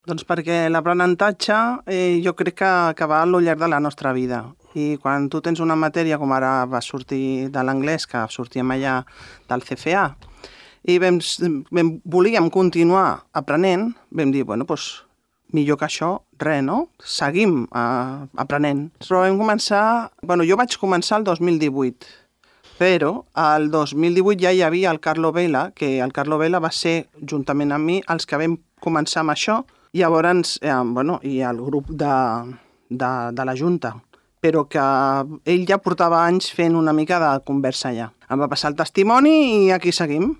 Doncs perquè l'aprenentatge jo crec que va a lo llarg de la nostra vida. I quan tu tens una matèria, com ara va sortir de l'anglès, que sortíem allà del CFA, i volíem continuar aprenent, vam dir, bueno, doncs millor que això, res, no? Seguim aprenent. Però vam començar... Bueno, jo vaig començar el 2018, però el 2018 ja hi havia el Carlo Vela, que el Carlo Vela va ser, juntament amb mi, els que vam començar amb això. Llavors, i el grup de la Junta, però que ell ja portava anys fent una mica de conversa allà. Em va passar el testimoni i aquí seguim.